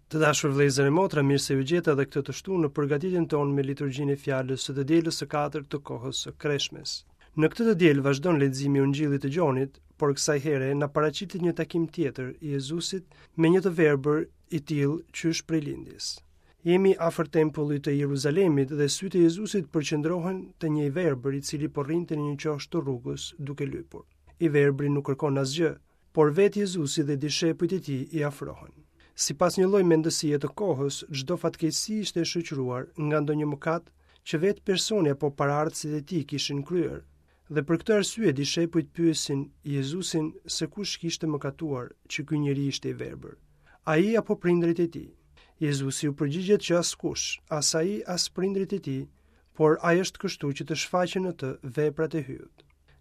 Të dashur vëllezër e motra, mirë se ju gjeta edhe këtë të shtunë në përgatitjen tonë me liturgjinë e fjalës së të dielës së katërt të kohës së Kreshmes. Në këtë të diel vazhdon leximi i Ungjillit të Gjonit, por kësaj here na paraqitet një takim tjetër i Jezusit me një të verbër i tillë qysh prej lindjes. Jemi afër tempullit të Jeruzalemit dhe sytë e Jezusit përqendrohen te një i verbër i cili po rrinte në një qosh të rrugës duke lypur. I verbri nuk kërkon asgjë, Por vetë Jezusi dhe dishepujt e tij i afrohen. Sipas një lloj mendësie të kohës, çdo fatkeqësi ishte e shoqëruar nga ndonjë mëkat që vetë personi apo paraardhësit e tij kishin kryer. Dhe për këtë arsye dishepujt pyesin Jezusin se kush kishte mëkatuar që ky njeri ishte i verbër, ai apo prindërit e tij. Jezusi u përgjigjet që askush, as ai, as prindërit e tij, por ai është kështu që të shfaqen në të veprat e Hyjut.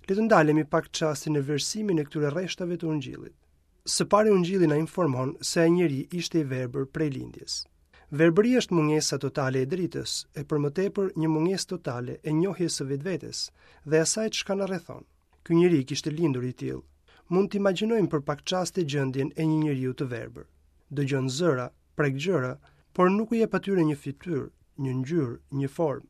Le të ndalemi pak çaste në vlerësimin e këtyre rreshtave të Ungjillit. Së pari Ungjilli na informon se ai njeri ishte i verbër prej lindjes. Verbëria është mungesa totale e dritës, e për më tepër një mungesë totale e njohjes së vetvetes dhe asaj çka na rrethon. Ky njeri kishte lindur i tillë. Mund të imagjinojmë për pak çaste gjendjen e një njeriu të verbër. Dëgjon zëra, prek gjëra, por nuk u jep atyre një fytyrë, një ngjyrë, një formë.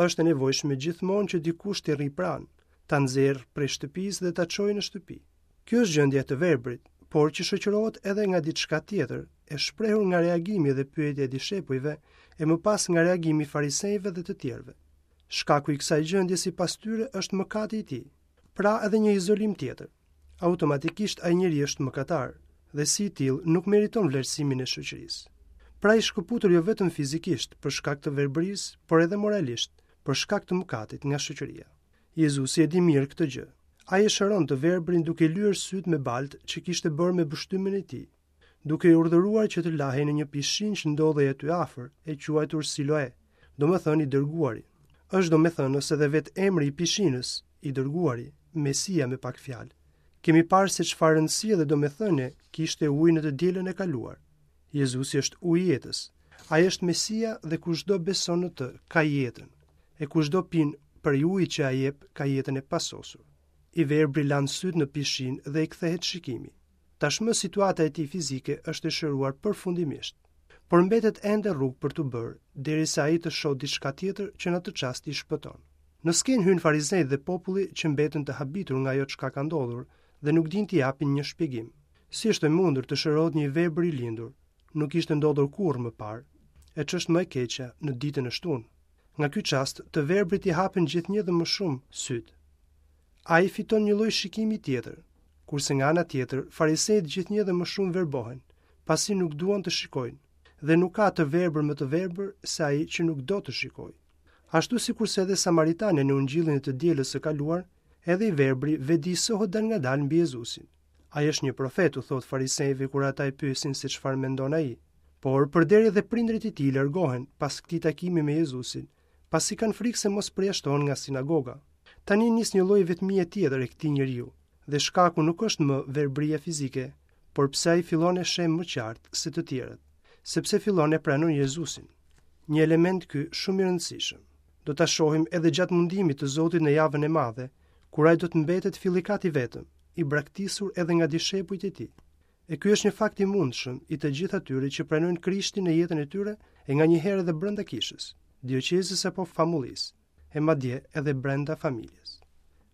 Është e nevojshme gjithmonë që dikush t'i rrijë pranë, ta nxjerrë prej shtëpisë dhe ta çojë në shtëpi. Kjo është gjendja e të verbrit, por që shoqërohet edhe nga diçka tjetër, e shprehur nga reagimi dhe pyetja e dishepujve, e më pas nga reagimi i farisenjve dhe të tjerëve. Shkaku i kësaj gjendje sipas tyre është mëkati i tij. Pra edhe një izolim tjetër. Automatikisht ai njeri është mëkatar dhe si i tillë nuk meriton vlerësimin e shoqërisë. Pra i shkëputur jo vetëm fizikisht për shkak të verbërisë, por edhe moralisht për shkak të mëkatit nga shoqëria. Jezusi e di mirë këtë gjë. Ai e shëron të verbrin duke i lyer sytë me baltë që kishte bërë me pështymën e tij. duke e urdhëruar që të lahej në një pishinë që ndodhej aty afër, e quajtur Siloe, domethënë i dërguari. Është domethënës edhe vetë emri i pishinës, i dërguari, Mesia me pak fjalë. Kemi parë se çfarë rëndësie dhe domethënie kishte uji në të dielën e kaluar. Jezusi është uji i jetës. Ai është Mesia dhe kushdo beson në të, ka jetën. E kushdo pin prej ujit që ai jep, ka jetën e pasosur. I verbri lan sytë në pishinë dhe i kthehet shikimi. Tashmë situata e tij fizike është e shëruar përfundimisht. Por mbetet ende rrugë për t'u bërë, derisa ai të shohë diçka tjetër që në atë çast i shpëton. Në skenë hyjnë farisenjtë dhe populli që mbeten të habitur nga ajo çka ka ndodhur dhe nuk dinë t'i japin një shpjegim. Si është e mundur të shërohet një i verbër i lindur? Nuk ishte ndodhur kurrë më parë. E ç'është më e keqja, në ditën e shtunë. Nga ky çast, të verbrit i hapen gjithnjë dhe më shumë sytë. Ai fiton një lloj shikimi tjetër, kurse nga ana tjetër, farisenjtë gjithnjë dhe më shumë verbohen, pasi nuk duan të shikojnë, dhe nuk ka të verbër më të verbër se ai që nuk do të shikojë. Ashtu sikurse edhe Samaritani në ungjillin e të dielës së kaluar, edhe i verbri vetëdijësohet dalngadalë mbi Jezusin. Ai është një profet, u thotë farisenjve kur ata e pyesin se çfarë mendon ai. Por, përderi edhe prindërit e tij largohen pas këtij takimi me Jezusin, pasi kanë frikë se mos përjashtohen nga sinagoga. Tani nis një lloj vetmie tjetër e këtij njeriu, dhe shkaku nuk është më verbëria fizike, por pse ai fillon e sheh më qartë se të tjerët, sepse fillon e pranon Jezusin. Një element ky shumë i rëndësishëm. Do ta shohim edhe gjatë mundimit të Zotit në javën e madhe, kur ai do të mbetet fillikat i vetëm, i braktisur edhe nga dishepujt e tij. E ky është një fakt i mundshëm i të gjithë atyre që pranojnë Krishtin në jetën e tyre e nganjëherë edhe brenda kishës, dioqezës apo famullisë, e madje edhe brenda familjes.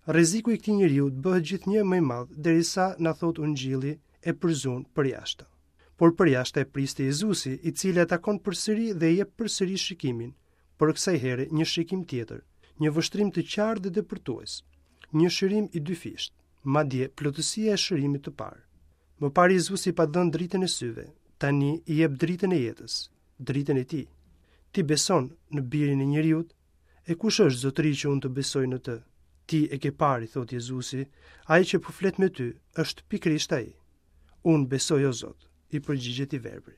Rreziku i këtij njeriu bëhet gjithnjë më i madh derisa na thotë Ungjilli e përzunë përjashta. Por përjashta e priste Jezusi, i cili e takon përsëri dhe i jep përsëri shikimin, por kësaj here një shikim tjetër, një vështrim të qartë dhe depërtues, një shërim i dyfishtë. Madje, plotësia e shërimit të parë. Më parë Jezusi i pat dhënë dritën e syve, tani i jep dritën e jetës, dritën e tij. Ti beson në birin e njeriut? E kush është zotëri që unë të besoj në të? Ti e ke parë, i thotë Jezusi, ai që po flet me ty është pikërisht ai. Unë besoj o Zot, i përgjigjet i verbri.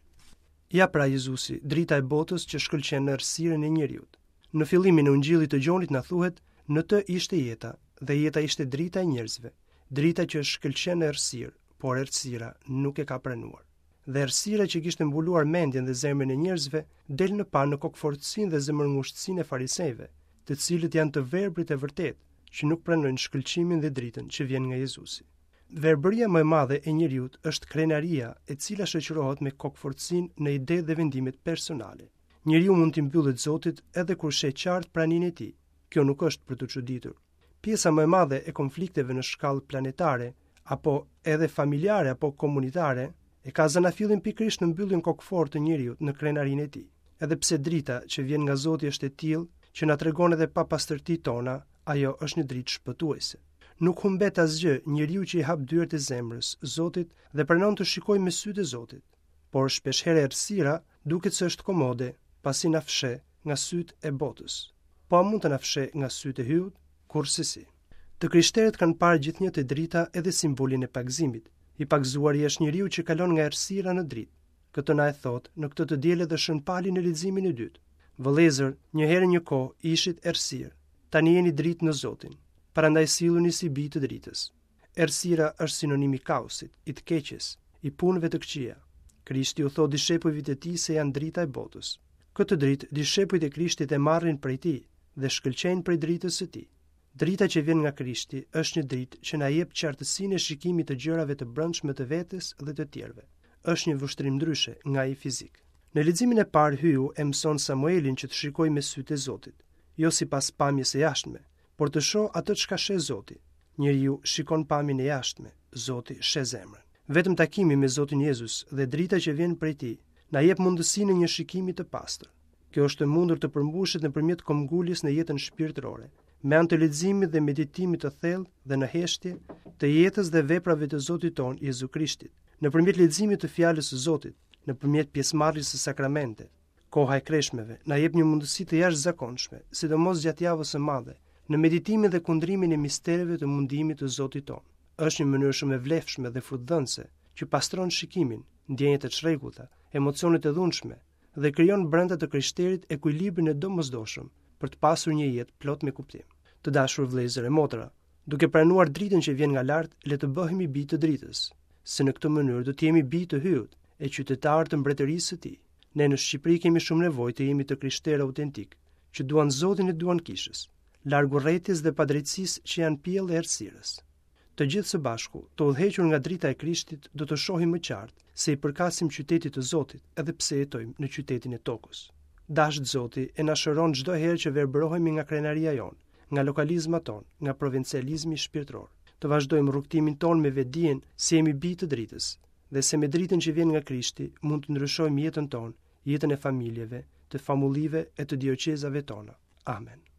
Ja pra Jezusi, drita e botës që shkëlqen në errësirën e njeriut. Në fillimin e Ungjillit të Gjonit na thuhet, në të ishte jeta, dhe jeta ishte drita e njerëzve, drita që shkëlqen në errësirë, por errësira nuk e ka pranuar. Dhe errësira që kishte mbuluar mendjen dhe zemrën e njerëzve, del në pah në kokëfortësinë dhe zemërngushtësinë e farisenjve, të cilët janë të verbrit e vërtetë, që nuk pranojnë shkëlqimin dhe dritën që vjen nga Jezusi. Verbëria më e madhe e njeriut është krenaria, e cila shoqërohet me kokëfortësinë në idetë dhe vendimet personale. Njeriu mund t'i mbyllet Zotit edhe kur sheh qartë praninë e tij. Kjo nuk është për t'u çuditur. Pjesa më e madhe e konflikteve në shkallë planetare, apo edhe familjare apo komunitare, e ka zanafillin pikërisht në mbylljen kokëfortë të njeriut në krenarinë e tij. Edhe pse drita që vjen nga Zoti është e tillë që na tregon edhe papastërtitë tona, ajo është një dritë shpëtuese. Nuk humbet asgjë njeriu që i hap dyert e zemrës Zotit dhe pranon të shikojë me sytë e Zotit. Por shpeshherë errësira duket se është komode, pasi na fsheh nga sytë e botës. Po a mund të na fshehë nga sytë e Hyut? Kurrsesi. Të krishterët kanë parë gjithnjë te drita edhe simbolin e pagëzimit. I pagëzuari është njeriu që kalon nga errësira në dritë. Këtë na e thotë në këtë të diel edhe Shën Pali në leximin e dytë. Vëllezër, një herë një kohë ishit errësirë, tani jeni dritë në Zotin. Prandaj silluni si bij të dritës. Errësira është sinonim i kaosit, i të keqes, i punëve të këqija. Krishti u thotë dishepujve të tij se janë drita e botës. Këtë dritë dishepujt e Krishtit e marrin prej tij dhe shkëlqejnë prej dritës së tij. Drita që vjen nga Krishti është një dritë që na jep qartësinë e shikimit të gjërave të brendshme të vetes dhe të tjerëve. Është një vështrim ndryshe nga ai fizik. Në leximin e parë Hyu e mëson Samuelin që të shikojë me sytë e Zotit, jo sipas pamjes së jashtme, por të shohë atë çka sheh Zoti. Njeriu shikon pamjen e jashtme, Zoti sheh zemrën. Vetëm takimi me Zotin Jezus dhe drita që vjen prej tij na jep mundësinë e një shikimi të pastër. Kjo është e mundur të përmbushet nëpërmjet këmbënguljes në jetën shpirtërore, me anë të leximit dhe meditimit të thellë dhe në heshtje të jetës dhe veprave të Zotit tonë Jezu Krishtit, nëpërmjet leximit të fjalës së Zotit, nëpërmjet pjesëmarrjes së sakramente. Koha e kreshmeve na jep një mundësi të jashtëzakonshme, sidomos gjatë javës së madhe, në meditimin dhe kundrimin e mistereve të mundimit të Zotit tonë. Është një mënyrë shumë e vlefshme dhe frutdhënëse që pastron shikimin, ndjenjat e çrregullta, emocionet e dhunshme dhe krijon brenda të krishterit ekuilibrin e domosdoshëm për të pasur një jetë plot me kuptim. Të dashur vëllezër e motra, duke pranuar dritën që vjen nga lart, le të bëhemi bij të dritës, se në këtë mënyrë do të jemi bij të Hyut e qytetarë të mbretërisë së tij. Ne në Shqipëri kemi shumë nevojë të jemi të krishterë autentikë, që duan Zotin e duan kishës, larg urrejtjes dhe padrejtësisë që janë pjellë e errësirës. Të gjithë së bashku, të udhëhequr nga drita e Krishtit, do të shohim më qartë se i përkasim qytetit të Zotit, edhe pse jetojmë në qytetin e tokës. Dashtë Zoti e na shëron çdo herë që verbërohemi nga krenaria jonë, nga lokalizmat tonë, nga provincializmi shpirtëror. Të vazhdojmë rrugëtimin tonë me vetëdijen se jemi bij të dritës dhe se me dritën që vjen nga Krishti mund të ndryshojmë jetën tonë, jetën e familjeve, të famullive e të dioqezave tona. Amen.